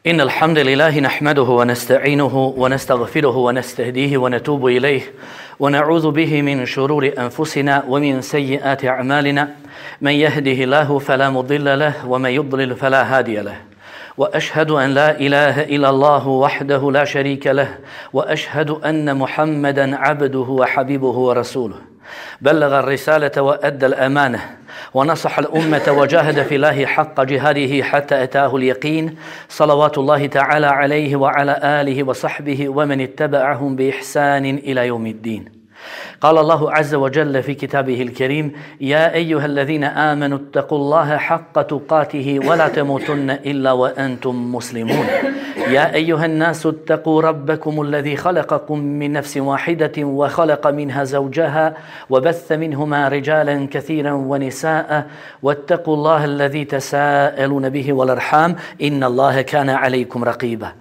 إن الحمد لله نحمده ونستعينه ونستغفره ونستهديه ونتوب إليه ونعوذ به من شرور أنفسنا ومن سيئات أعمالنا من يهده الله فلا مضل له ومن يضلل فلا هادي له وأشهد أن لا إله إلا الله وحده لا شريك له وأشهد أن محمدا عبده وحبيبه ورسوله بلغ الرسالة وأدى الأمانة ونصح الأمة وجاهد في الله حق جهاده حتى أتاه اليقين صلوات الله تعالى عليه وعلى آله وصحبه ومن اتبعهم بإحسان إلى يوم الدين. قال الله عز وجل في كتابه الكريم: يا أيها الذين آمنوا اتقوا الله حق تقاته ولا تموتن إلا وأنتم مسلمون. يا أيها الناس اتقوا ربكم الذي خلقكم من نفس واحدة وخلق منها زوجها وبث منهما رجالا كثيرا ونساء واتقوا الله الذي تساءلون به والأرحام إن الله كان عليكم رقيبا.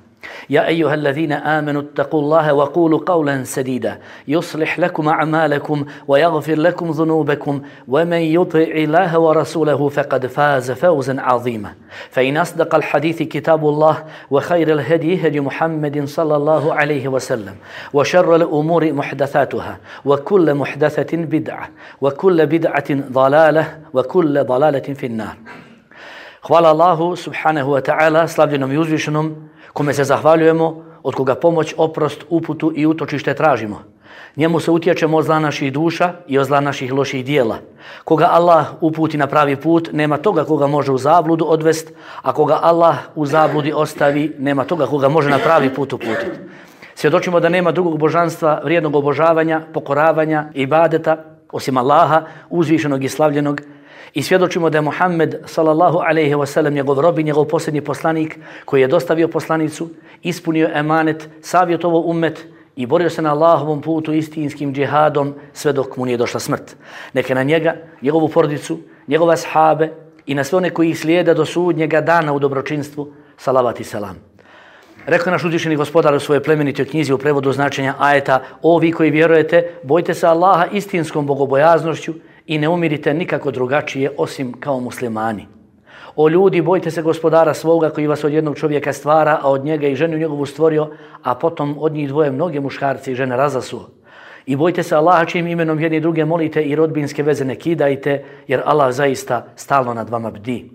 يا أيها الذين آمنوا اتقوا الله وقولوا قولا سديدا يصلح لكم أعمالكم ويغفر لكم ذنوبكم ومن يطع الله ورسوله فقد فاز فوزا عظيما. فإن أصدق الحديث كتاب الله وخير الهدي هدي محمد صلى الله عليه وسلم وشر الأمور محدثاتها وكل محدثة بدعة وكل بدعة ضلالة وكل ضلالة في النار. Hvala Allahu subhanahu wa ta'ala, slavljenom i uzvišenom, kome se zahvaljujemo, od koga pomoć, oprost, uputu i utočište tražimo. Njemu se utječemo od zla naših duša i od zla naših loših dijela. Koga Allah uputi na pravi put, nema toga koga može u zabludu odvest, a koga Allah u zabludi ostavi, nema toga koga može na pravi put uputiti. Svjedočimo da nema drugog božanstva, vrijednog obožavanja, pokoravanja, ibadeta, osim Allaha, uzvišenog i slavljenog. I svjedočimo da je Muhammed sallallahu alejhi ve sellem njegov rob i njegov posljednji poslanik koji je dostavio poslanicu, ispunio emanet, savjetovao ummet i borio se na Allahovom putu istinskim džihadom sve dok mu nije došla smrt. Neka na njega, njegovu porodicu, njegove ashabe i na sve one koji ih slijede do sudnjega dana u dobročinstvu, salavat i selam. Rekao naš uzvišeni gospodar u svojoj plemenitoj knjizi u prevodu značenja ajeta: o vi koji vjerujete, bojte se Allaha istinskom bogobojaznošću i ne umirite nikako drugačije osim kao muslimani. O ljudi, bojte se gospodara svoga koji vas od jednog čovjeka stvara, a od njega i ženu njegovu stvorio, a potom od njih dvoje mnoge muškarci i žene razasuo. I bojte se Allaha čijim imenom jedni druge molite i rodbinske veze ne kidajte, jer Allah zaista stalno nad vama bdi.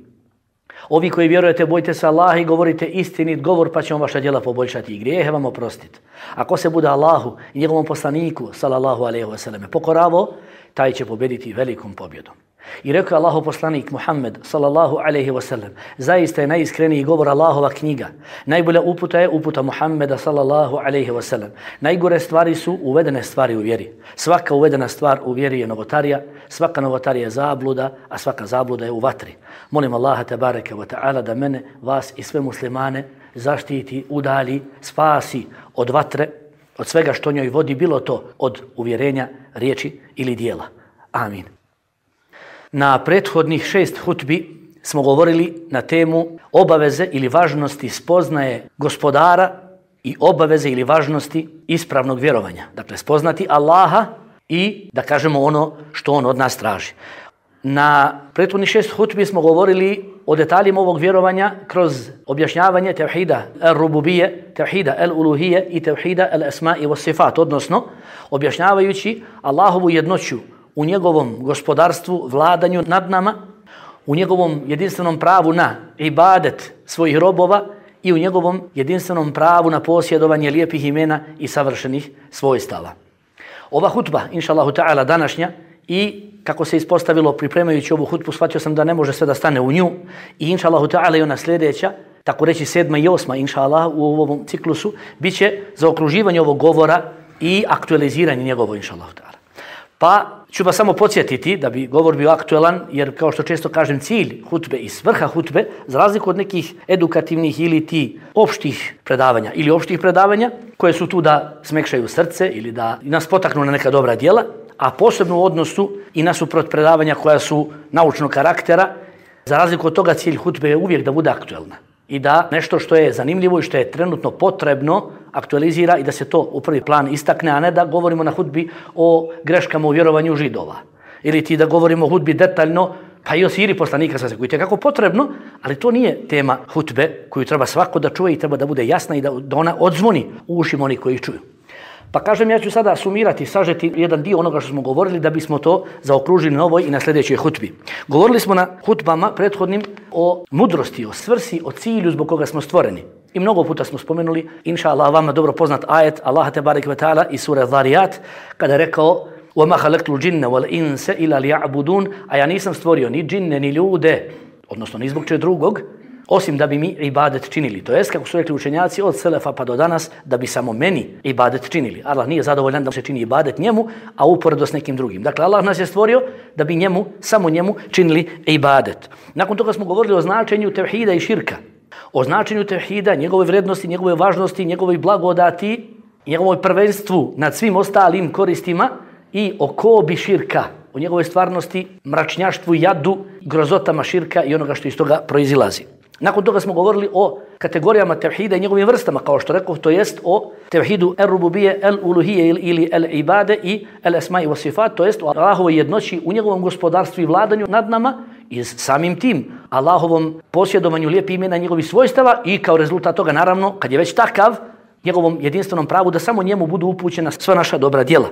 Ovi koji vjerujete, bojte se Allaha i govorite istinit govor, pa će on vaša djela poboljšati i grijehe vam oprostiti. Ako se bude Allahu i njegovom poslaniku, sallallahu alejhi ve selleme, pokoravo, taj će pobjediti velikom pobjedom. I rekao Allahov poslanik Muhammed sallallahu alejhi ve sellem: zaista je najiskreniji govor Allahova knjiga. Najbolja uputa je uputa Muhammeda sallallahu alejhi ve sellem. Najgore stvari su uvedene stvari u vjeri. Svaka uvedena stvar u vjeri je novotarija, svaka novotarija je zabluda, a svaka zabluda je u vatri. Molim Allaha tebareke ve taala da mene, vas i sve muslimane zaštiti, udalji, spasi od vatre, od svega što njoj vodi, bilo to od uvjerenja, riječi ili dijela. Amin. Na prethodnih 6 hutbi smo govorili na temu obaveze ili važnosti spoznaje gospodara i obaveze ili važnosti ispravnog vjerovanja. Dakle, spoznati Allaha i da kažemo ono što on od nas traži. Na prethodnih 6 hutbi smo govorili o detaljima ovog vjerovanja kroz objašnjavanje tevhida al-rububije, tevhida al-uluhije i tevhida al-asma i was-sifat, odnosno objašnjavajući Allahovu jednoću u njegovom gospodarstvu, vladanju nad nama, u njegovom jedinstvenom pravu na ibadet svojih robova i u njegovom jedinstvenom pravu na posjedovanje lijepih imena i savršenih svojstava. Ova hutba, inša Allahu ta'ala, današnja, i kako se ispostavilo pripremajući ovu hutbu, shvatio sam da ne može sve da stane u nju, i inša Allahu ta'ala i ona sljedeća, tako reći 7. i 8. inša Allah u ovom ciklusu, bit će zaokruživanje ovog govora i aktualiziranje njegovo, inša Allahu ta'ala. Pa ću vas samo podsjetiti da bi govor bio aktuelan, jer kao što često kažem, cilj hutbe i svrha hutbe, za razliku od nekih edukativnih ili ti opštih predavanja ili opštih predavanja koje su tu da smekšaju srce ili da nas potaknu na neka dobra djela, a posebno u odnosu i nasuprot predavanja koja su naučnog karaktera, za razliku od toga cilj hutbe je uvijek da bude aktuelna i da nešto što je zanimljivo i što je trenutno potrebno aktualizira i da se to u prvi plan istakne, a ne da govorimo na hudbi o greškama u vjerovanju Židova. Ili ti da govorimo o hudbi detaljno pa i o siri poslanika sa koji je kako potrebno, ali to nije tema hutbe koju treba svako da čuje i treba da bude jasna i da ona odzvoni u ušima onih koji ih čuju. Pa kažem, ja ću sada sumirati, sažeti jedan dio onoga što smo govorili da bismo to zaokružili na ovoj i na sljedećoj hutbi. Govorili smo na hutbama prethodnim o mudrosti, o svrsi, o cilju zbog koga smo stvoreni. I mnogo puta smo spomenuli, inša Allah, vama dobro poznat ajet Allaha tebareke ve taala iz sure Zariyat, kada je rekao وَمَا خَلَقْتُ الْجِنَّ وَالْإِنْسَ إِلَّا لِيَعْبُدُونَ, a ja nisam stvorio ni džinne, ni ljude, odnosno ni zbog čega drugog, osim da bi mi ibadet činili. To jest, kako su rekli učenjaci od selefa pa do danas, da bi samo meni ibadet činili. Allah nije zadovoljan da se čini ibadet njemu, a uporedo s nekim drugim. Dakle, Allah nas je stvorio da bi njemu, samo njemu činili ibadet. Nakon toga smo govorili o značenju tevhida i širka. O značenju tevhida, njegove vrednosti, njegove važnosti, njegove blagodati, njegovoj prvenstvu nad svim ostalim koristima i o kobi širka, o njegovoj stvarnosti, mračnjaštvu, jadu, grozotama širka i onoga što iz toga proizilazi. Nakon toga smo govorili o kategorijama tevhida i njegovim vrstama, kao što rekao, to jest o tevhidu el-rububije, el-uluhije ili el-ibade i el-esma i wasifat, to jest o Allahovoj jednoći u njegovom gospodarstvu i vladanju nad nama i samim tim Allahovom posjedovanju lijepih imena njegovih svojstava i kao rezultat toga, naravno, kad je već takav, njegovom jedinstvenom pravu da samo njemu budu upućena sva naša dobra djela.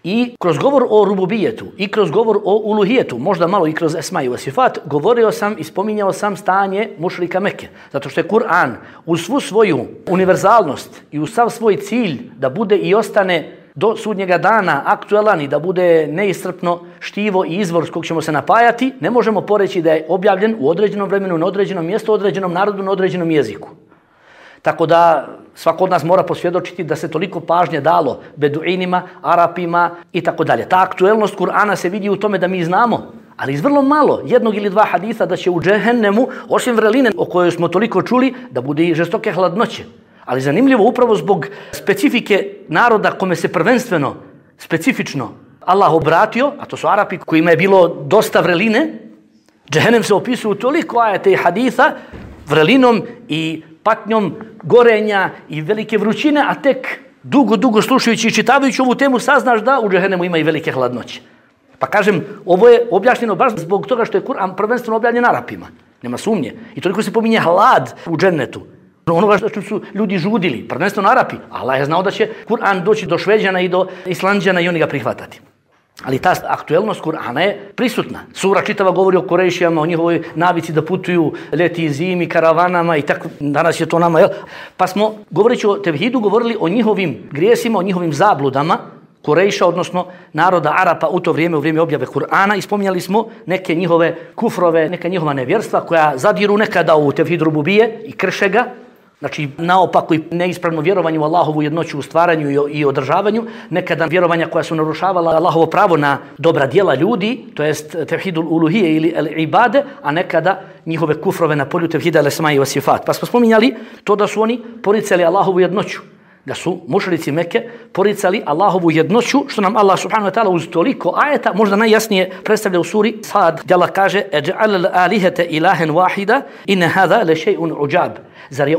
I kroz govor o rububijetu i kroz govor o uluhijetu, možda malo i kroz esma i vasifat, govorio sam i spominjao sam stanje mušrika Mekke. Zato što je Kur'an uz svu svoju univerzalnost i uz sav svoj cilj da bude i ostane do sudnjega dana aktualan i da bude neiscrpno štivo i izvor s kog ćemo se napajati, ne možemo poreći da je objavljen u određenom vremenu, na određenom mjestu, određenom narodu, na određenom jeziku. Tako da svako od nas mora posvjedočiti da se toliko pažnje dalo Beduinima, Arapima i tako dalje. Ta aktuelnost Kur'ana se vidi u tome da mi znamo, ali iz vrlo malo, jednog ili dva hadisa da će u džehennemu, osim vreline o kojoj smo toliko čuli, da bude i žestoke hladnoće. Ali zanimljivo upravo zbog specifike naroda kome se prvenstveno, specifično Allah obratio, a to su Arapi kojima je bilo dosta vreline, džehennem se opisuju toliko ajete i hadisa vrelinom i patnjom gorenja i velike vrućine, a tek dugo slušajući i čitavajući ovu temu saznaš da u džehennemu ima i velike hladnoće. Pa kažem, ovo je objašnjeno baš zbog toga što je Kur'an prvenstveno objavljen Arapima. Nema sumnje. I toliko se pominje hlad u džennetu. Onoga što su ljudi žudili, prvenstveno Arapi. Allah je znao da će Kur'an doći do Šveđana i do Islanđana i oni ga prihvatati. Ali ta aktuelnost Kur'ana je prisutna. Sura čitava govori o Kurejšijama, o njihovoj navici da putuju leti zimi, karavanama i tako. Danas je to nama, jel? Pa smo, govoreći o tevhidu, govorili o njihovim grijesima, o njihovim zabludama Kurejša, odnosno naroda Arapa u to vrijeme, u vrijeme objave Kur'ana, i spominjali smo neke njihove kufrove, neka njihova nevjerstva koja zadiru nekada u tevhid rububije i krše ga. Znači, naopako i neispravno vjerovanje u Allahovu jednoću u stvaranju i održavanju, nekada vjerovanja koja su narušavala Allahovo pravo na dobra djela ljudi, to jest tevhidul uluhije ili ibade, a nekada njihove kufrove na polju tevhida el-esma i vasifat. Pa smo spominjali to da su oni poricali Allahovu jednoću, da su mušrici Mekke poricali Allahovu jednoću, što nam Allah subhanahu wa ta'ala uz toliko ajeta možda najjasnije predstavlja u suri Sad, gdje Allah kaže eđa'al alihete ilahen wahida inne hada le še'un uđab. Zar je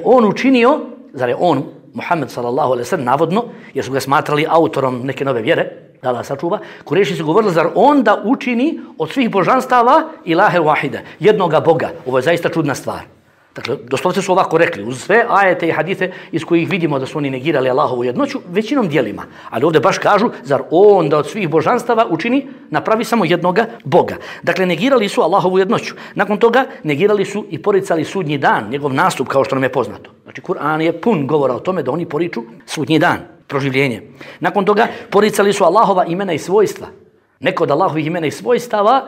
on, Muhammed sallallahu alaihi sallam, navodno, jer su ga smatrali autorom neke nove vjere, da Allah sačuva, Kurejši su govorili, zar on da učini od svih božanstava ilahe wahida, jednoga Boga. Ovo je zaista čudna stvar. Dakle, doslovce su ovako rekli, uz sve ajete i hadite iz kojih vidimo da su oni negirali Allahovu jednoću, većinom dijelima. Ali ovdje baš kažu, zar on da od svih božanstava učini, napravi samo jednoga Boga. Dakle, negirali su Allahovu jednoću. Nakon toga negirali su i poricali sudnji dan, njegov nastup, kao što nam je poznato. Znači, Kur'an je pun govora o tome da oni poriču sudnji dan, proživljenje. Nakon toga poricali su Allahova imena i svojstva. Neko od Allahovih imena i svojstava,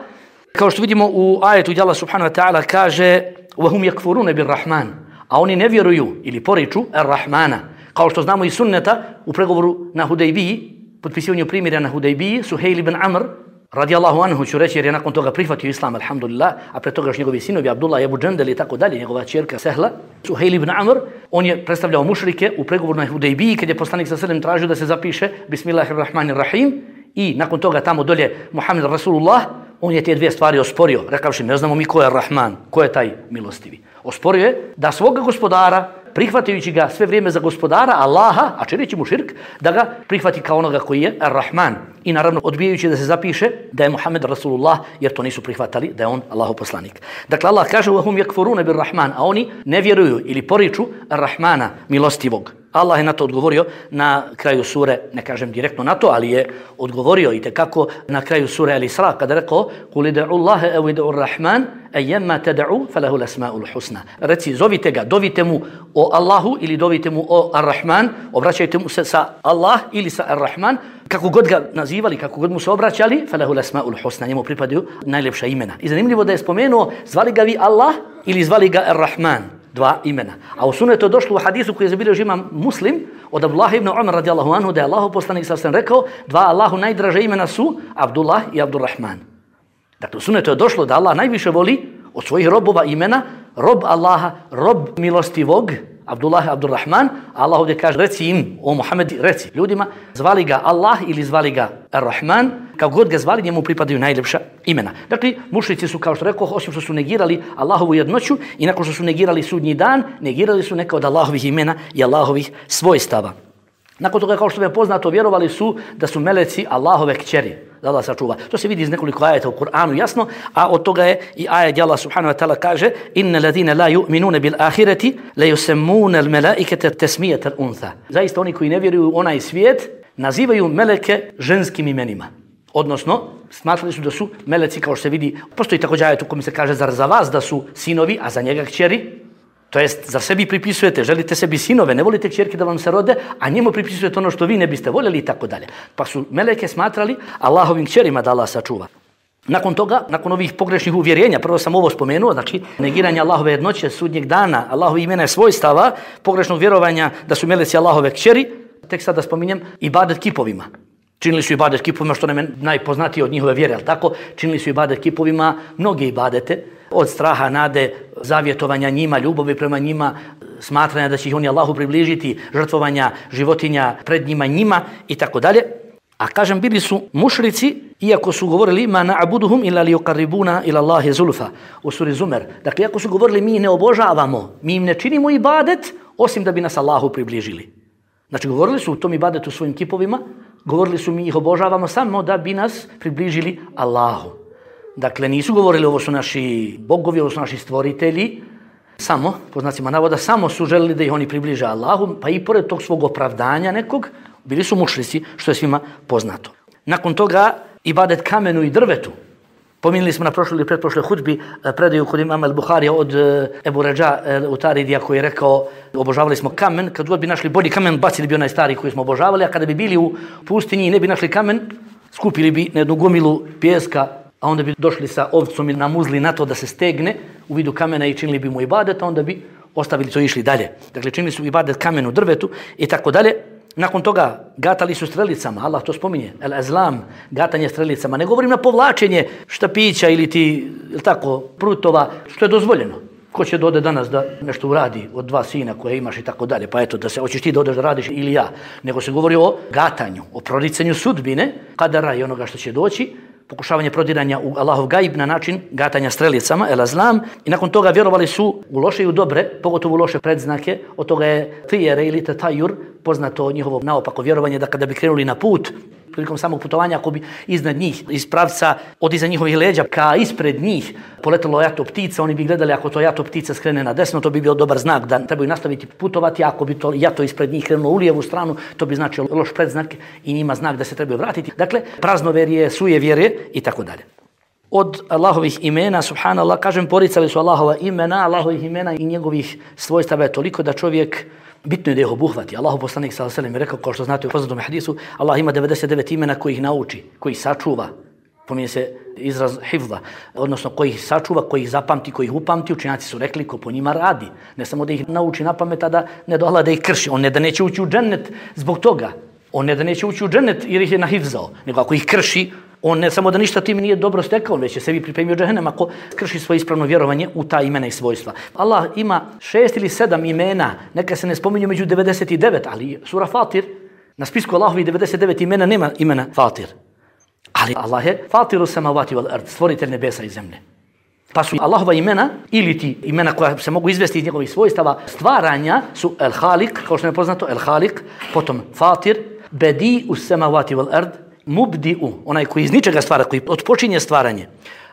kao što vidimo u ajetu gdje Allah subhanahu wa ta'ala kaže وَهُمْ يَكْفُرُونَ بِالرَّحْمَانِ, a oni ne vjeruju ili poriču Ar-Rahmana. Kao što znamo iz sunneta u pregovoru na Hudejbiji, potpisivanju primirja na Hudejbiji, Suhejl ibn Amr, radijallahu anhu ću reći jer je nakon toga prihvatio islam, alhamdulillah, a pre toga još njegovi sinovi, Abdullah i Abu Džendel i tako dalje, njegova ćerka Sehla. Suhejl ibn Amr, on je predstavljao mušrike u pregovoru na Hudejbiji, kad je poslanik sa selem tražio da se zapiše Bismillahirrahmanirrahim i nakon toga tamo dolje Muhammed Rasulullah, on je te dvije stvari osporio, rekavši ne znamo mi ko je Rahman, ko je taj milostivi. Osporio je da svoga gospodara prihvatajući ga sve vrijeme za gospodara Allaha, a čineći mu širk, da ga prihvati kao onoga koji je Ar-Rahman. I naravno odbijajući da se zapiše da je Muhammed Rasulullah, jer to nisu prihvatali, da je on Allahov poslanik. Dakle, Allah kaže وَهُمْ يَكْفُرُونَ بِالرَّحْمَنِ, a oni ne vjeruju ili poriču Ar-Rahmana, milostivog. Allah je na to odgovorio na kraju sure, ne kažem direktno na to, ali je odgovorio i tekako na kraju sure Al-Isra kada je rekao قُلِ دَعُوا اللَّهَ أَوْ دَعُوا الرَّحْمَنِ أَيَّمَّا تَدَعُوا فَلَهُ الْأَسْمَاءُ الْحُسْنَى. Reci, zovite ga, dovite mu o Allahu ili dovite mu o Ar-Rahman, obraćajte mu se sa Allah ili sa Ar-Rahman, kako god ga nazivali, kako god mu se obraćali, فَلَهُ الْأَسْمَاءُ الْحُسْنَى, njemu pripadaju najljepša imena. I zanimljivo da je spomenuo, zvali ga vi Allah ili zvali ga Ar-Rahman. Dva imena. A u sunnetu je došlo u hadisu koji je zabilježio imam Muslim od Abdullah ibn Umar radijallahu anhu da je Allahov poslanik sallallahu alejhi ve sellem rekao dva Allahu najdraža imena su Abdullah i Abdurrahman. Dakle, u sunnetu je došlo da Allah najviše voli od svojih robova imena rob Allaha, rob milostivog, Abdullah i Abdurrahman, a Allah ovdje kaže reci im, o Muhammed, reci ljudima, zvali ga Allah ili zvali ga Ar-Rahman, kako god ga zvali, njemu pripadaju najljepša imena. Dakle, mušrici su, kao što rekao, osim što su negirali Allahovu jednoću i nakon što su negirali sudnji dan, negirali su neka od Allahovih imena i Allahovih svojstava. Nakon toga, kao što je poznato, vjerovali su da su meleci Allahove kćeri, da Allah sačuva. To se vidi iz nekoliko ajeta u Kur'anu jasno, a od toga je i ajet gdje Allah subhanahu wa ta'ala kaže inna ladina la yu'minuna bil ahireti la yusammuna al malaikata tasmiyatan untha. Zaista oni koji ne vjeruju u onaj svijet nazivaju meleke ženskim imenima. Odnosno, smatrali su da su meleci, kao što se vidi, postoji također ajet u kojem se kaže zar za vas da su sinovi, a za njega kćeri? To jest, zar sebi pripisujete, želite sebi sinove, ne volite kćerke da vam se rode, a njemu pripisujete ono što vi ne biste voljeli i tako dalje. Pa su meleke smatrali Allahovim kćerima da Allah sačuva. Nakon toga, nakon ovih pogrešnih uvjerenja, prvo sam ovo spomenuo, znači negiranje Allahove jednoće, sudnjeg dana, Allahove imena i svojstava, pogrešnog vjerovanja da su meleci Allahove kćeri, tek sada spominjem ibadet kipovima. Činili su ibadet kipovima, što nam je najpoznatije od njihove vjere, ali tako? Činili su ibadet kipovima mnoge ibadete, od straha, nade, zavjetovanja njima, ljubavi prema njima, smatranja da će ih oni Allahu približiti, žrtvovanja životinja pred njima i tako dalje. A kažem, bili su mušrici, iako su govorili ma na'buduhum illa liqarribuna ila Allahi zulfa u suri Zumer. Dakle, iako su govorili mi ne obožavamo, mi im ne činimo ibadet, osim da bi nas Allahu približili. Znači, govorili su u tom ibadetu svojim kipovima, govorili su mi ih obožavamo samo da bi nas približili Allahu. Dakle, nisu govorili ovo su naši bogovi, ovo su naši stvoritelji, samo, po znacima navoda, samo su želili da ih oni približe Allahu, pa i pored tog svog opravdanja nekog, bili su mušrici, što je svima poznato. Nakon toga, ibadet kamenu i drvetu. Pominjali smo na prošloj ili pretprošloj hudbi predaju kod imama al-Buharija od Ebu Rađa Utaridija koji je rekao obožavali smo kamen, kad god bi našli bolji kamen, bacili bi onaj stari koji smo obožavali, a kada bi bili u pustinji i ne bi našli kamen, skupili bi na jednu gomilu pijeska, a onda bi došli sa ovcom i namuzli na to da se stegne u vidu kamena i činili bi mu ibadet, a onda bi ostavili to i išli dalje. Dakle, činili su ibadet kamenu, drvetu i tako dalje. Nakon toga gatali su strelicama, Allah to spominje, el-azlam, gatanje strelicama. Ne govorim na povlačenje štapića ili ti, ili tako, prutova, što je dozvoljeno. Ko će dode danas da nešto uradi od dva sina koje imaš i tako dalje, pa eto, da se hoćeš ti da odeš da radiš ili ja. Nego se govori o gatanju, o proricanju sudbine, kadara i onoga što će doći, pokušavanje prodiranja u Allahov gaib na način gatanja strelicama, el-azlam, i nakon toga vjerovali su u loše i u dobre, pogotovo u loše predznake, od toga je tijere ili tatajur, poznato njihovo naopako vjerovanje da kada bi krenuli na put, prilikom samog putovanja, ako bi iznad njih, iz pravca od iza njihovih leđa ka ispred njih poletelo jato ptica, oni bi gledali ako to jato ptica skrene na desno, to bi bio dobar znak da trebaju nastaviti putovati, ako bi to jato ispred njih krenulo u lijevu stranu, to bi značilo loš predznak i njima znak da se trebaju vratiti. Dakle, praznoverje, sujevjerje i tako dalje. Od Allahovih imena, subhanallah, kažem, poricali su Allahova imena, Allahovih imena i njegovih svojstava je toliko da čovjek bitno je da ih obuhvati. Allahov poslanik sallallahu alejhi ve sellem je rekao, kao što znate u poznatom hadisu, Allah ima 99 imena koji ih nauči, koji ih sačuva. Pominje se izraz hifza, odnosno koji ih sačuva, koji ih zapamti, koji ih upamti. Učenjaci su rekli ko po njima radi. Ne samo da ih nauči na pamet, a da ne dohla da ih krši. On ne da neće ući u džennet zbog toga. On ne da neće ući u džennet jer ih je nahifzao. Nego ako ih krši, on ne samo da ništa tim nije dobro stekao, već je sebi pripremio džehennem ako krši svoje ispravno vjerovanje u ta imena i svojstva. Allah ima 6 ili 7 imena, neka se ne spominju među 99, ali sura Fatir, na spisku Allahovi 99 imena nema imena Fatir. Ali Allah je Fatiru samavati wal ard, stvoritelj nebesa i zemlje. Pa su Allahova imena ili ti imena koja se mogu izvesti iz njegovih svojstava stvaranja su El Halik, kao što je poznato, El Halik, potom Fatir, Bedi us samawati wal ard, Mubdi'u, onaj koji iz ničega stvara, koji otpočinje stvaranje,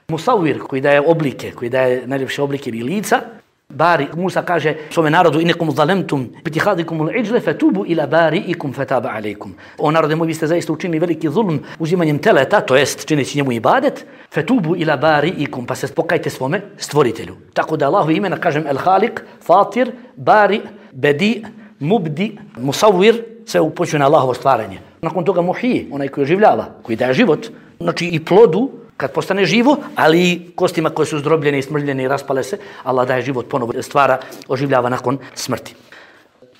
Musawwir, koji daje oblike, koji daje najljepše oblike i lica, Bari, Musa kaže svome narodu inekum zalemtum bitihadikumul iđle fetubu ila bari'ikum fetaba alejkum. O narode moj, vi ste zaista učinili veliki zulm uzimanjem teleta, to jest čineći njemu ibadet, fetubu ila bari'ikum, pa se pokajte svome stvoritelju. Tako da Allahu imena kažem El Halik, Fatir, Bari, Bedi, Mubdi, Musawwir, sve upočuje na Allahovo stvaranje. Nakon toga Muhyi, onaj koji oživljava, koji daje život, znači i plodu kad postane živo, ali i kostima koje su zdrobljene i smrljene i raspale se, Allah daje život, ponovo stvara, oživljava nakon smrti.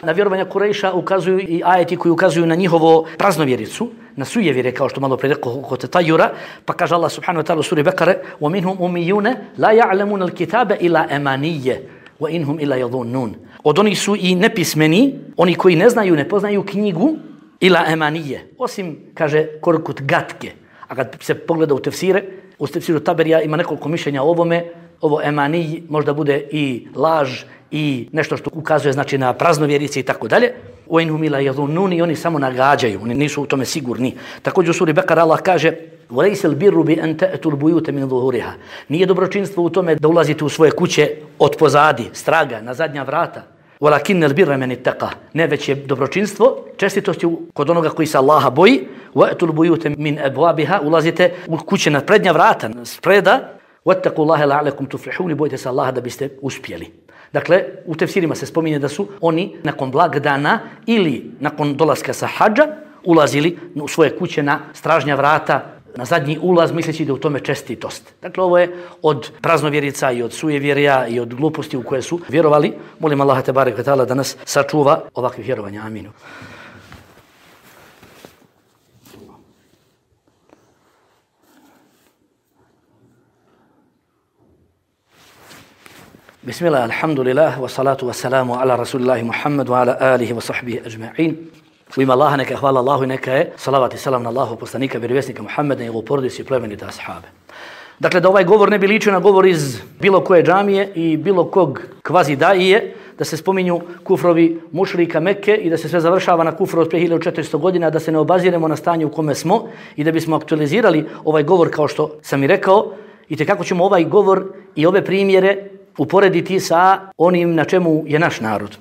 Na vjerovanja Kurejša ukazuju i ajeti koji ukazuju na njihovo praznovjericu, na sujevjere, kao što malo predrekao kod Tajura, pa kaže Allah subhanahu wa ta'ala u suri Bekare وَمِنْهُمْ أُمِّيُّونَ لَا يَعْلَمُونَ الْكِتَابَ إِلَّا أَمَانِيَّ وَإِنْهُمْ إِلَّا يَظُنُّونَ. Od onih su i nepismeni, oni koji ne znaju, ne poznaju knjigu, ila emanije, osim, kaže, korkut gatke. A kad se pogleda u tefsire, u tefsiru Taberija ima nekoliko mišljenja o ovome, ovo emaniji možda bude i laž i nešto što ukazuje znači na praznovjerice i tako dalje. U inhum ila yadhunnun, oni samo nagađaju, oni nisu u tome sigurni. Također u suri Bekara Allah kaže وَلَيْسَ الْبِرُّ بِأَنْ تَأْتُوا الْبُيُوتَ مِنْ ظُهُورِهَا. Nije dobročinstvo u tome da ulazite u svoje kuće od pozadi, straga, na zadnja vrata. وَلَكِنَّ الْبِرَّ مَنِ اتَّقَى. Ne, već je dobročinstvo, čestitost je kod onoga koji se Allaha boji. وَأْتُوا الْبُيُوتَ مِنْ أَبْوَابِهَا. Ulazite u kuće na prednja vrata, spreda. وَاتَّقُوا اللَّهَ لَعَلَكُمْ تُفْلِحُونَ. Bojite se Allaha da biste uspjeli. Dakle, u tefsirima se spominje da su oni nakon blagdana ili nakon dolaska sa hadža ulazili u svoje kuće na stražnja vrata, na zadnji ulaz, misleći da u tome čestitost. Dakle, ovo je od praznovjerica i od sujevjerja i od gluposti u koje su vjerovali. Molim Allaha tebareke ve taala da nas sačuva ovakvih vjerovanja. Aminu. Bismillah, alhamdulillah, wa salatu wa salamu ala rasulillahi Muhammad wa ala alihi wa sahbihi ajma'in. U ime Allaha neka hvala Allahu i neka je salavat i salam na Allahu poslanika, vjerovjesnika Muhammeda i njegovu porodicu i plemenite ashabe. Dakle, da ovaj govor ne bi ličio na govor iz bilo koje džamije i bilo kog kvazi daije, da se spominju kufrovi mušrika Mekke i da se sve završava na kufru od prije 1400 godina, da se ne obaziremo na stanje u kome smo i da bismo aktualizirali ovaj govor kao što sam i rekao, i kako ćemo ovaj govor i ove primjere uporediti sa onim na čemu je naš narod.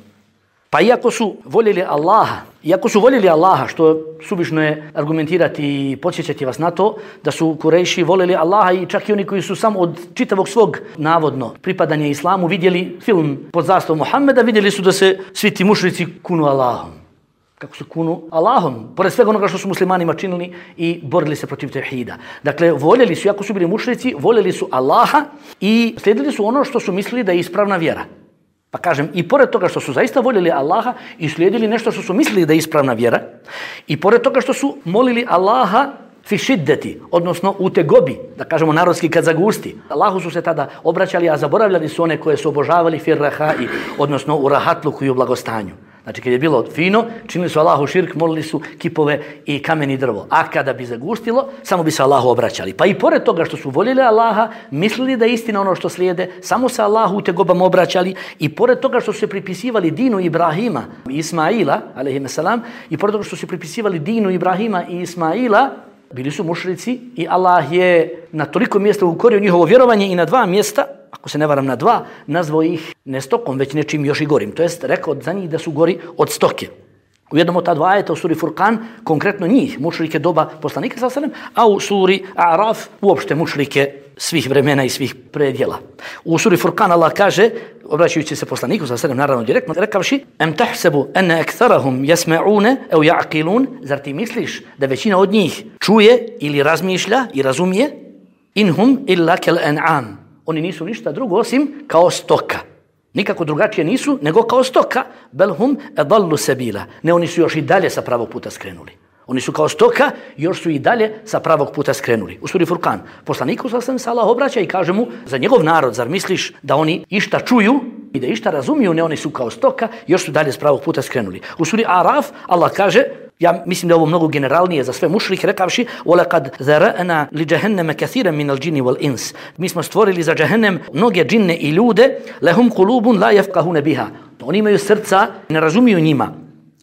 Pa iako su voljeli Allaha, što suvišno je argumentirati i podsjećati vas na to, da su Kurejši voljeli Allaha i čak i oni koji su samo od čitavog svog navodno pripadanja islamu vidjeli film pod zastavom Muhammeda, vidjeli su da se svi ti mušrici kunu Allahom. Kako su kunu Allahom, pored svega onoga što su muslimanima činili i borili se protiv tevhida. Dakle, voljeli su, iako su bili mušrici, voljeli su Allaha i slijedili su ono što su mislili da je ispravna vjera. Pa kažem, i pored toga što su zaista voljeli Allaha i slijedili nešto što su mislili da je ispravna vjera, i pored toga što su molili Allaha fi šiddeti, odnosno u tegobi, da kažemo narodski kad zagusti. Allahu su se tada obraćali, a zaboravljali su one koje su obožavali fir rahai, odnosno u rahatluku i u blagostanju. Znači, kad je bilo fino, činili su Allahu širk, molili su kipove i kamen i drvo. A kada bi zagustilo, samo bi se Allahu obraćali. Pa i pored toga što su voljeli Allaha, mislili da je istina ono što slijede, samo se Allahu u tegobama obraćali, i pored toga što su se pripisivali dinu Ibrahima i Ismaila, alejhimeselam, i pored toga što su se pripisivali dinu Ibrahima i Ismaila, bili su mušrici i Allah je na toliko mjesta ukorio njihovo vjerovanje i na 2 mjesta, ako se ne varam na 2, nazvao ih ne stokom, već nečim još i gorim. To jest rekao za njih da su gori od stoke. U jednom od ta 2 ajeta u suri Furkan, konkretno njih, mušrike doba poslanika sallallahu alejhi ve sellem, a u suri A'raf uopšte mušrike svih vremena i svih predjela. U suri Furkan Allah kaže, obraćajući se poslaniku sallallahu alejhi ve sellem naravno direktno, rekavši: "Em tahsabu anna aktharahum yasma'una aw ya'qilun?" Zar ti misliš da većina od njih čuje ili razmišlja i razumije? Inhum illa kal an'am. Oni nisu ništa drugo osim kao stoka. Nikako drugačije nisu nego kao stoka. Belhum adallu sabila. Ne, oni su još i dalje sa pravog puta skrenuli. Oni su kao stoka, još su i dalje sa pravog puta skrenuli. U suri Furkan poslaniku sallallahu se Allah obraća i kaže mu za njegov narod: zar misliš da oni išta čuju i da išta razumiju? Ne, oni su kao stoka, još su dalje s pravog puta skrenuli. U suri Araf Allah kaže: Ja mislim da je ovo mnogo generalnije za sve mušrike, rekavši وَلَقَدْ ذَرَأْنَا لِجَهَنَّمَ كَثِيرًا مِنَ الْجِنِّ وَالْإِنسِ. Mi smo stvorili za džehennem mnoge džinne i ljude, لَهُمْ قُلُوبٌ لَا يَفْقَهُونَ بِهَا. Oni imaju srca, ne razumiju njima.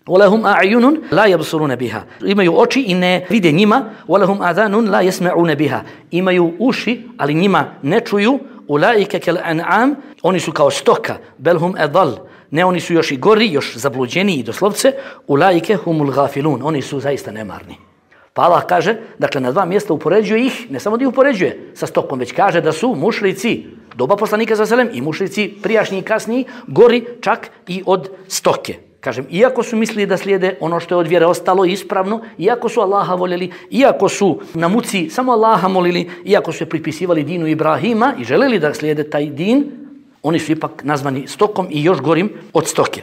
وَلَهُمْ أَعْيُنٌ لَا يَبْصُرُونَ بِهَا. Imaju oči i ne vide njima. وَلَهُمْ آذَانٌ لَا يَسْمَعُونَ بِهَا. Imaju uši, ali njima ne čuju. أُولَٰئِكَ كَالْأَنْعَامِ. Oni su kao stoka. بَلْ هُمْ أَضَلُّ. Ne, oni su još i gori, još zabluđeniji doslovce. Ulaike humul gafilun. Oni su zaista nemarni. Pa Allah kaže, dakle na dva mjesta upoređuje ih, ne samo da ih upoređuje sa stokom, već kaže da su mušrici doba poslanika sallallahu alejhi ve sellem i mušrici prijašnji i kasniji gori čak i od stoke. Kažem, iako su mislili da slijede ono što je od vjere ostalo ispravno, iako su Allaha voljeli, iako su na muci samo Allaha molili, iako su je pripisivali dinu Ibrahima i želeli da slijede taj din, oni su ipak nazvani stokom i još gorim od stoke.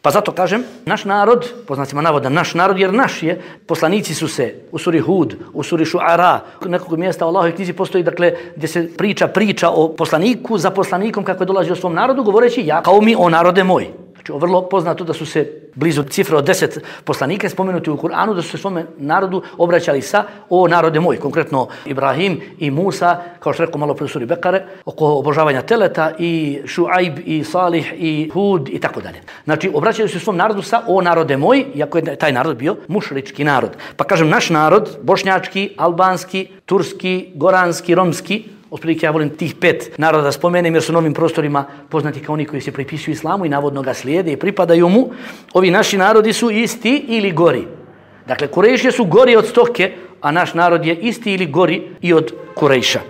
Pa zato kažem, naš narod, po znacima navoda naš narod, jer naš je, poslanici su se u suri Hud, u suri Šuara, nekog mjesta u Allahovoj knjizi postoji, dakle, gdje se priča o poslaniku za poslanikom kako je dolazio svom narodu, govoreći ja kao mi o narode moj. Znači, vrlo poznato da su se blizu cifre od 10 poslanika spomenuti u Kur'anu, da su se svome narodu obraćali sa o narode moj, konkretno Ibrahim i Musa, kao što rekao malo pre u suri Bekare, oko obožavanja teleta i Šuajb i Salih i Hud i tako dalje. Znači, obraćali su svom narodu sa o narode moj, iako je taj narod bio mušrički narod. Pa kažem, naš narod, bošnjački, albanski, turski, goranski, romski, otprilike ja volim tih 5 naroda da spomenem jer su na ovim prostorima poznati kao oni koji se pripisuju islamu i navodno ga slijede i pripadaju mu. Ovi naši narodi su isti ili gori. Dakle, Kurejšije su gori od stoke, a naš narod je isti ili gori i od Kurejša.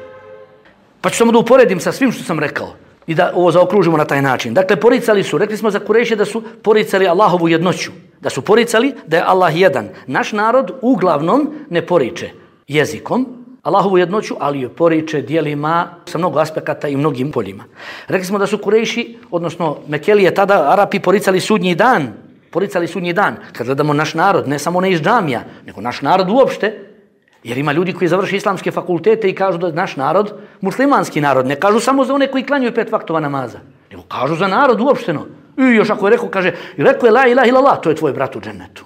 Pa ću samo da uporedim sa svim što sam rekao i da ovo zaokružimo na taj način. Dakle, poricali su, rekli smo za Kurejšije da su poricali Allahovu jednoću, da su poricali da je Allah jedan. Naš narod uglavnom ne poriče jezikom Allahovu jednoću, ali je poriče dijelima sa mnogo aspekata i mnogim poljima. Rekli smo da su Kurejši, odnosno Mekelije, tada Arapi poricali sudnji dan. Poricali sudnji dan. Kad gledamo naš narod, ne samo ne iz džamija, nego naš narod uopšte, jer ima ljudi koji završi islamske fakultete i kažu da je naš narod muslimanski narod. Ne kažu samo za one koji klanjaju 5 vaktova namaza, nego kažu za narod uopšteno. I još ako je rekao, kaže, rekao je la ilaha illallah, to je tvoj brat u džennetu.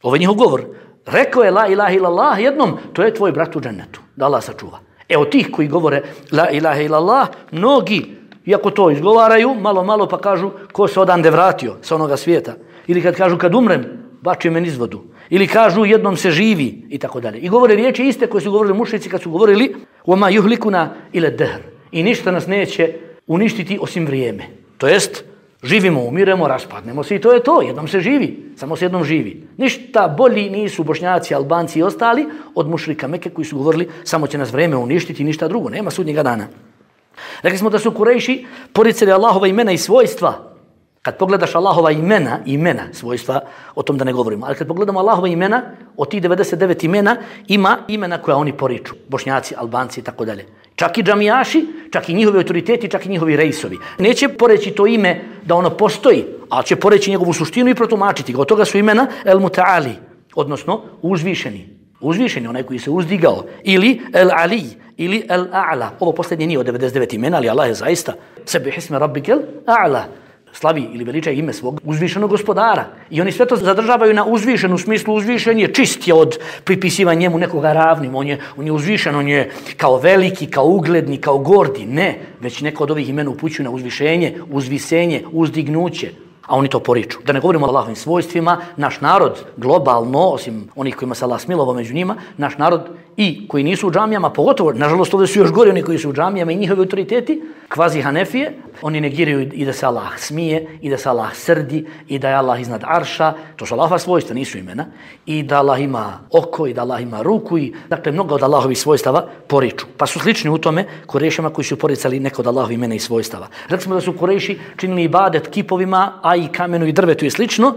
Ovo je njihov govor. Rekao je la ilaha illallah jednom, to je tvoj brat u džennetu, da Allah sačuva. Evo tih koji govore la ilaha illallah, mnogi, iako to izgovaraju, malo pa kažu ko se odande vratio sa onoga svijeta. Ili kad kažu kad umrem, bači me niz vodu. Ili kažu jednom se živi i tako dalje. I govore riječi iste koje su govorili mušrici kad su govorili وَمَا يُهْلِكُنَا إِلَى الدَّهْرِ. I ništa nas neće uništiti osim vrijeme. To jest, živimo, umiremo, raspadnemo se i to je to. Jednom se živi, samo se jednom živi. Ništa bolji nisu Bošnjaci, Albanci i ostali od mušrika Mekke koji su govorili samo će nas vrijeme uništiti i ništa drugo. Nema sudnjega dana. Rekli smo da su Kurejši poricali Allahova imena i svojstva. Kad pogledaš Allahova imena, svojstva, o tom da ne govorimo, ali kad pogledamo Allahova imena, od tih 99 imena, ima imena koja oni poriču. Bošnjaci, Albanci i tako dalje. Čak i džamijaši, čak i njihovi autoriteti, čak i njihovi rejsovi. Neće poreći to ime da ono postoji, ali će poreći njegovu suštinu i protumačiti ga. Od toga su imena El Muta'ali, odnosno uzvišeni. Uzvišeni, onaj koji se uzdigao. Ili El Ali, ili El A'la. Ovo posljednje nije od 99 imena, ali Allah je zaista Sebih isme Rabbikel A'la. Slavi ili veliča ime svog uzvišenog gospodara. I oni sve to zadržavaju na uzvišenu smislu. Uzvišen je čist je od pripisivanja njemu nekoga ravnim. On je uzvišen, on je kao veliki, kao ugledni, kao gordi. Ne, već neko od ovih imena upućuju na uzvišenje, uzvisenje, uzdignuće. A oni to poriču. Da ne govorimo o Allahovim svojstvima, naš narod globalno, osim onih kojima se Allah smilovao među njima, naš narod i koji nisu u džamijama, pogotovo, nažalost ovdje su još gori oni koji su u džamijama i njihovi autoriteti, kvazi Hanefije, oni negiraju i da se Allah smije, i da se Allah srdi, i da je Allah iznad arša, to su Allahova svojstva, nisu imena, i da Allah ima oko, i da Allah ima ruku, i dakle mnogo od Allahovih svojstava poriču. Pa su slični u tome Kurejšima koji su poricali neko od Allahovih imena i svojstava. Rekli smo da su Kurejši činili ibadet kipovima, a i kamenu i drvetu i slično.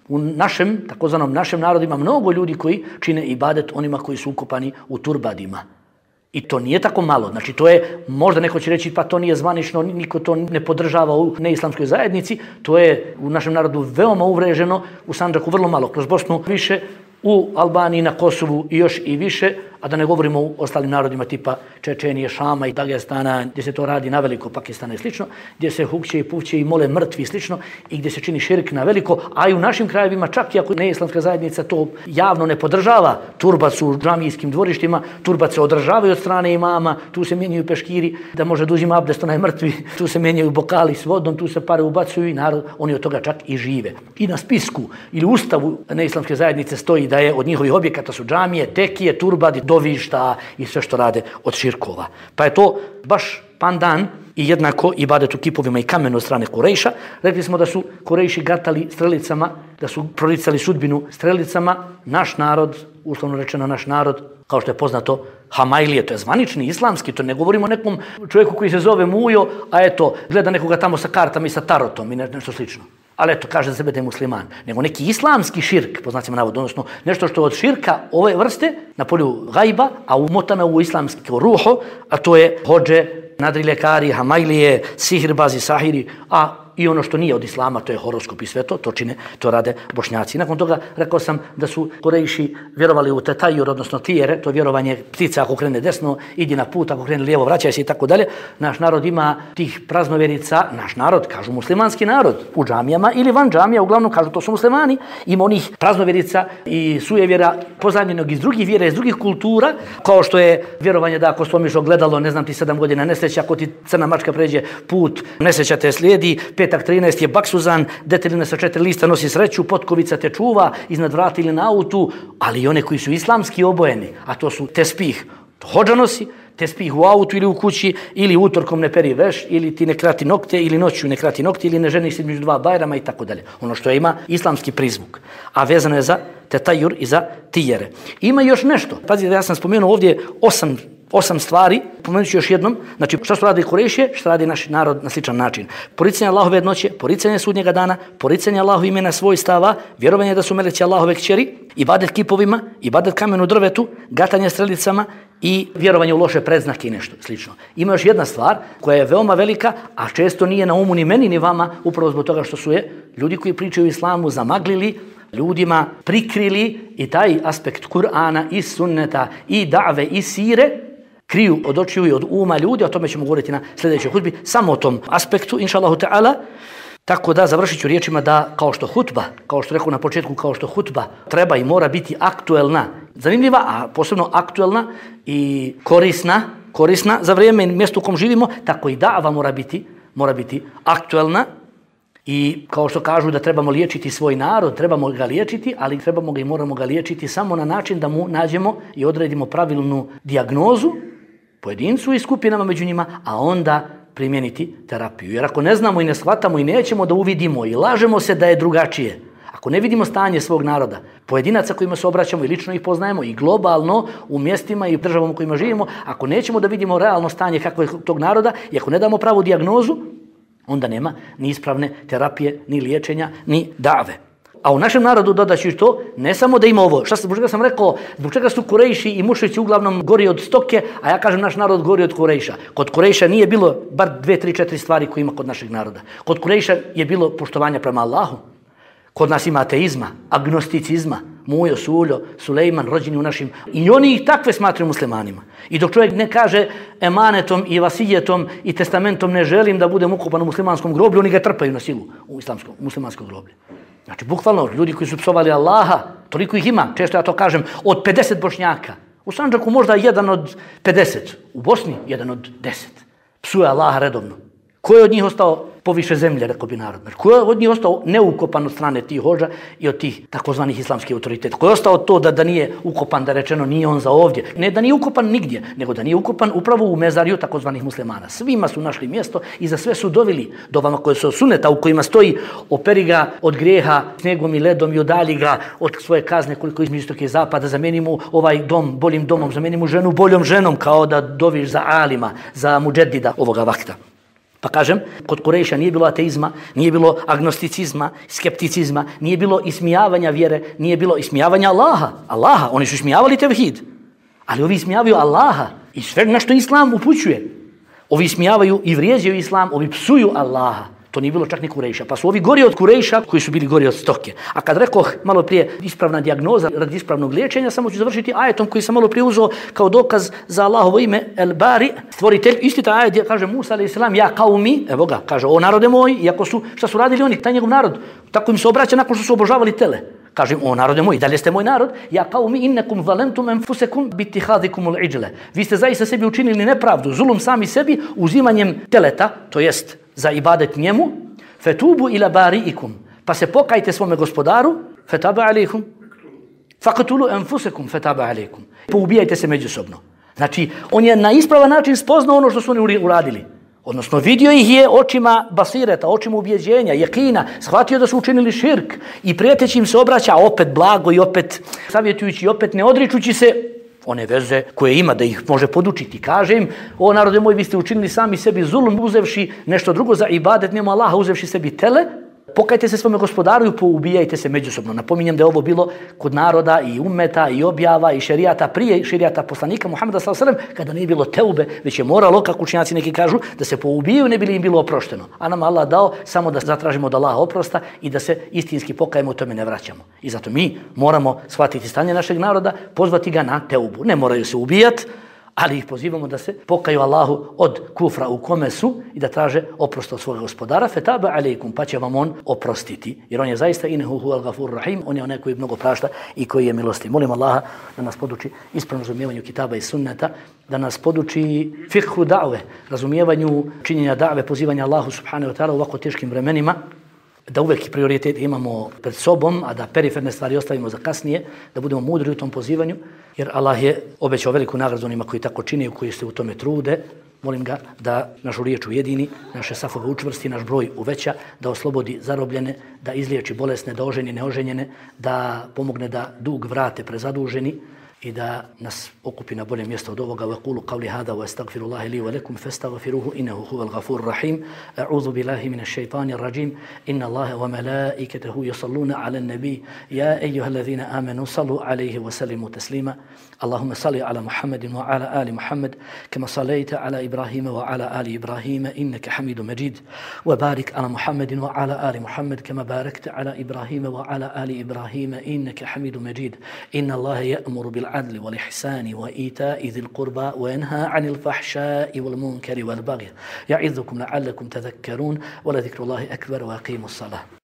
U našem, takozvanom našem narodu ima mnogo ljudi koji čine ibadet onima koji su ukopani u turbadima. I to nije tako malo. Znači to je, možda neko će reći pa to nije zvanično, niko to ne podržava u neislamskoj zajednici, to je u našem narodu veoma uvreženo, u Sandžaku vrlo malo, kroz Bosnu više, u Albaniji, na Kosovu i još i više, a da ne govorimo o ostalim narodima tipa Čečenije, Šama i Dagestana, gdje se to radi na veliko, Pakistana i slično, gdje se hukće i puvće i mole mrtvi i slično i gdje se čini širk na veliko, a i u našim krajevima čak i ako neislamska zajednica to javno ne podržava, turbac u džamijskim dvorištima, turbac se održavaju od strane imama, tu se mijenjaju peškiri, da može da uzima abdest onaj mrtvi, tu se mijenjaju bokali s vodom, tu se pare ubacuju i narod, oni od toga čak i žive. I na spisku ili ustavu neislamske zajednice stoji da je od njihovih objekata su džamije, tekije, turbadi, dovišta i sve što rade od širkova. Pa je to baš pandan i jednako ibadet u kipovima i kamenu od strane Kurejša. Rekli smo da su Kurejši gatali strelicama, da su proricali sudbinu strelicama. Naš narod, uslovno rečeno naš narod, kao što je poznato, Hamailije, to je zvanični islamski, to ne govorimo o nekom čovjeku koji se zove Mujo, a eto, gleda nekoga tamo sa kartama i sa tarotom i nešto slično. Ali eto, kaže za sebe da je musliman. Nego neki islamski širk, po znacima navoda, odnosno nešto što od širka ove vrste, na polju gajba, a umotano u islamski ruho, a to je hodže, nadriljekari, Hamailije, sihirbazi, sahiri, a i ono što nije od islama, to je horoskop i sve to čine, to rade Bošnjaci. Nakon toga rekao sam da su Kurejši vjerovali u tetajur, odnosno tijere, to vjerovanje ptica ako krene desno, idi na put, ako krene lijevo, vraćaj se i tako dalje. Naš narod ima tih praznovjerica, naš narod, kažu muslimanski narod, u džamijama ili van džamija, uglavnom kažu to su muslimani, ima onih praznovjerica i sujevjera pozajmljenog iz drugih vjera, iz drugih kultura, kao što je vjerovanje da ako slomiš ogledalo, ne znam ti 7 godina nesreća, ako ti crna mačka pređe put, nesreća te slijedi, petak 13 je baksuzan, deteljina sa 4 lista nosi sreću, potkovica te čuva, iznad vrata ili na autu, ali i one koji su islamski obojeni, a to su tespih, to hodža nosi, tespih u autu ili u kući, ili utorkom ne peri veš, ili ti ne krati nokte, ili noću ne krati nokte, ili ne ženiš se između 2 bajrama i tako dalje. Ono što ima islamski prizvuk, a vezano je za tetajur i za tijere. Ima još nešto. Pazite, ja sam spomenuo ovdje 8 stvari, pomenut ću još jednom, znači šta su radili Kurejšije, šta radi naš narod na sličan način. Poricanje Allahove jednoće, poricanje sudnjega dana, poricanje Allahove imena svojstava, vjerovanje da su meleci Allahove kćeri, ibadet kipovima, ibadet kamenu drvetu, gatanje strelicama i vjerovanje u loše predznake i nešto slično. Ima još jedna stvar koja je veoma velika, a često nije na umu ni meni ni vama, upravo zbog toga što su je ljudi koji pričaju o islamu zamaglili, ljudima prikrili i taj aspekt Kur'ana i sunneta i da've i sire kriju od očiju i od uma ljudi, o tome ćemo govoriti na sljedećoj hutbi, samo o tom aspektu, inša Allahu ta'ala. Tako da završit ću riječima da kao što hutba, kao što rekao na početku, kao što hutba treba i mora biti aktuelna, zanimljiva, a posebno aktuelna i korisna za vrijeme i mjesto u kom živimo, tako i da'va mora biti aktuelna. I kao što kažu da trebamo liječiti svoj narod, trebamo ga liječiti, ali trebamo ga i moramo ga liječiti samo na način da mu nađemo i odredimo pravilnu dijagnozu pojedincu i skupinama među njima, a onda primijeniti terapiju. Jer ako ne znamo i ne shvatamo i nećemo da uvidimo i lažemo se da je drugačije, ako ne vidimo stanje svog naroda, pojedinaca kojima se obraćamo i lično ih poznajemo i globalno u mjestima i državama u kojima živimo, ako nećemo da vidimo realno stanje kakvo je tog naroda i ako ne damo pravu dijagnozu, onda nema ni ispravne terapije, ni liječenja, ni dave. A u našem narodu dodaću to, ne samo da ima ovo, zbog čega sam rekao, zbog čega su Kurejši i mušrici uglavnom gori od stoke, a ja kažem naš narod gori od Kurejša. Kod Kurejša nije bilo bar 2, 3, 4 stvari koje ima kod našeg naroda. Kod Kurejša je bilo poštovanja prema Allahu. Kod nas ima ateizma, agnosticizma, Mujo, Suljo, Sulejman, rođeni u našim... I oni ih takve smatraju muslimanima. I dok čovjek ne kaže emanetom i vasijetom i testamentom ne želim da budem ukopan u muslimanskom groblju, oni ga trpaju na silu u muslimanskom groblju. Znači, bukvalno, ljudi koji su psovali Allaha, toliko ih ima, često ja to kažem, od 50 Bošnjaka. U Sandžaku možda 1 od 50, u Bosni 1 od 10. Psuje Allaha redovno. Ko je od njih ostao poviše zemlje, rekao bi narod? Ko je od njih ostao neukopan od strane tih hođa i od tih takozvanih islamskih autoriteta? Ko je ostao to da nije ukopan, da rečeno nije on za ovdje? Ne da nije ukopan nigdje, nego da nije ukopan upravo u mezariju takozvanih muslimana. Svima su našli mjesto i za sve su doveli dovama koje su suneta u kojima stoji operi ga od grijeha snegom i ledom i udalji ga od svoje kazne koliko između istoka i zapada, zameni mu ovaj dom boljim domom, zameni mu ženu boljom ženom, kao da doviš za alima, za muđedida ovoga vakta. Pa kažem, kod Kurejša nije bilo ateizma, nije bilo agnosticizma, skepticizma, nije bilo ismijavanja vjere, nije bilo ismijavanja Allaha, oni su ismijavali tevhid, ali ovi ismijavaju Allaha i sve na što Islam upućuje. Ovi ismijavaju i vrijeđaju Islam, ovi psuju Allaha. To nije bilo čak ni Kurejša. Pa su ovi gori od Kurejša koji su bili gori od stoke. A kad rekoh malo prije ispravna dijagnoza radi ispravnog liječenja, samo ću završiti ajetom koji sam malo prije uzeo kao dokaz za Allahovo ime El Bari, stvoritelj. Isti taj ajet kaže Musa a.s. ja qaumi, evo ga, kaže o narode moj, iako su, šta su radili oni, taj njegov narod, tako im se obraća nakon što su obožavali tele. Kaže o narode moj, dalje ste moj narod, ja qaumi innakum zalamtum anfusakum bittihadikumul ijla. Vi ste zaista sebi učinili nepravdu, zulum sami sebi uzimanjem teleta, to jest za ibadet njemu, fetubu ila bari'ikum, pa se pokajte svome gospodaru, fetaba alaikum, faqtulu anfusakum fetaba alaikum. Poubijajte se međusobno. Znači, on je na ispravan način spoznao ono što su oni uradili. Odnosno, vidio ih je očima basireta, očima ubjeđenja, jekina, shvatio da su učinili širk i prijeteći im se obraća opet blago i opet savjetujući i opet ne odričući se one veze koje ima da ih može podučiti. Kaže im, o narode moj, vi ste učinili sami sebi zulum uzevši nešto drugo za ibadet mimo Allaha, uzevši sebi tele, pokajte se svome gospodaru i poubijajte se međusobno. Napominjem da je ovo bilo kod naroda i ummeta i objava i šerijata prije šerijata poslanika Muhameda sallallahu alejhi ve sellem, kada nije bilo teube, već je moralo, kako učenjaci neki kažu, da se poubijaju ne bi li im bilo oprošteno. A nam Allah dao samo da zatražimo od Allaha oprosta i da se istinski pokajemo, o tome ne vraćamo. I zato mi moramo shvatiti stanje našeg naroda, pozvati ga na teubu. Ne moraju se ubijati, ali ih pozivamo da se pokaju Allahu od kufra u kome su i da traže oprost od svoga gospodara, fetaba alejkum, pa će vam on oprostiti. Jer on je zaista innehu huvel gafur rahim, on je onaj koji mnogo prašta i koji je milostiv. Molim Allaha da nas poduči ispravnom razumijevanju kitaba i sunneta, da nas poduči fikhu da've, razumijevanju činjenja da've, pozivanja Allahu subhanahu wa ta'ala u ovako teškim vremenima, da uvijek prioritet imamo pred sobom, a da periferne stvari ostavimo za kasnije, da budemo mudri u tom pozivanju, jer Allah je obećao veliku nagradu onima koji tako čine i koji se u tome trude. Molim ga da našu riječ ujedini, naše safove učvrsti, naš broj uveća, da oslobodi zarobljene, da izliječi bolesne, da oženi neoženjene, da pomogne da dug vrate prezaduženi i da nas okupi na bolje mjesto od ovoga. Vaqulu qawli hada wa astaghfirullaha li wa lakum fastaghfiruhu innahu huwal ghafurur rahim. A'udhu billahi minash shaitanir rajim. Inna Allaha wa malaikatahu yusalluna 'alan nabiy ya ayyuhalladhina amanu sallu 'alayhi wa sallimu taslima. Allahumma salli 'ala Muhammadin wa 'ala ali Muhammad kama sallaita 'ala Ibrahim wa 'ala ali Ibrahim innaka Hamidum Majid. Wa barik 'ala Muhammadin wa 'ala ali Muhammad kama barakta 'ala Ibrahim wa 'ala ali Ibrahim innaka Hamidum Majid. Inna Allaha ya'muru bil العدل والإحسان وإيتاء ذي القربى وينهى عن الفحشاء والمنكر والبغي يعظكم لعلكم تذكرون ولذكر الله أكبر وأقيموا الصلاة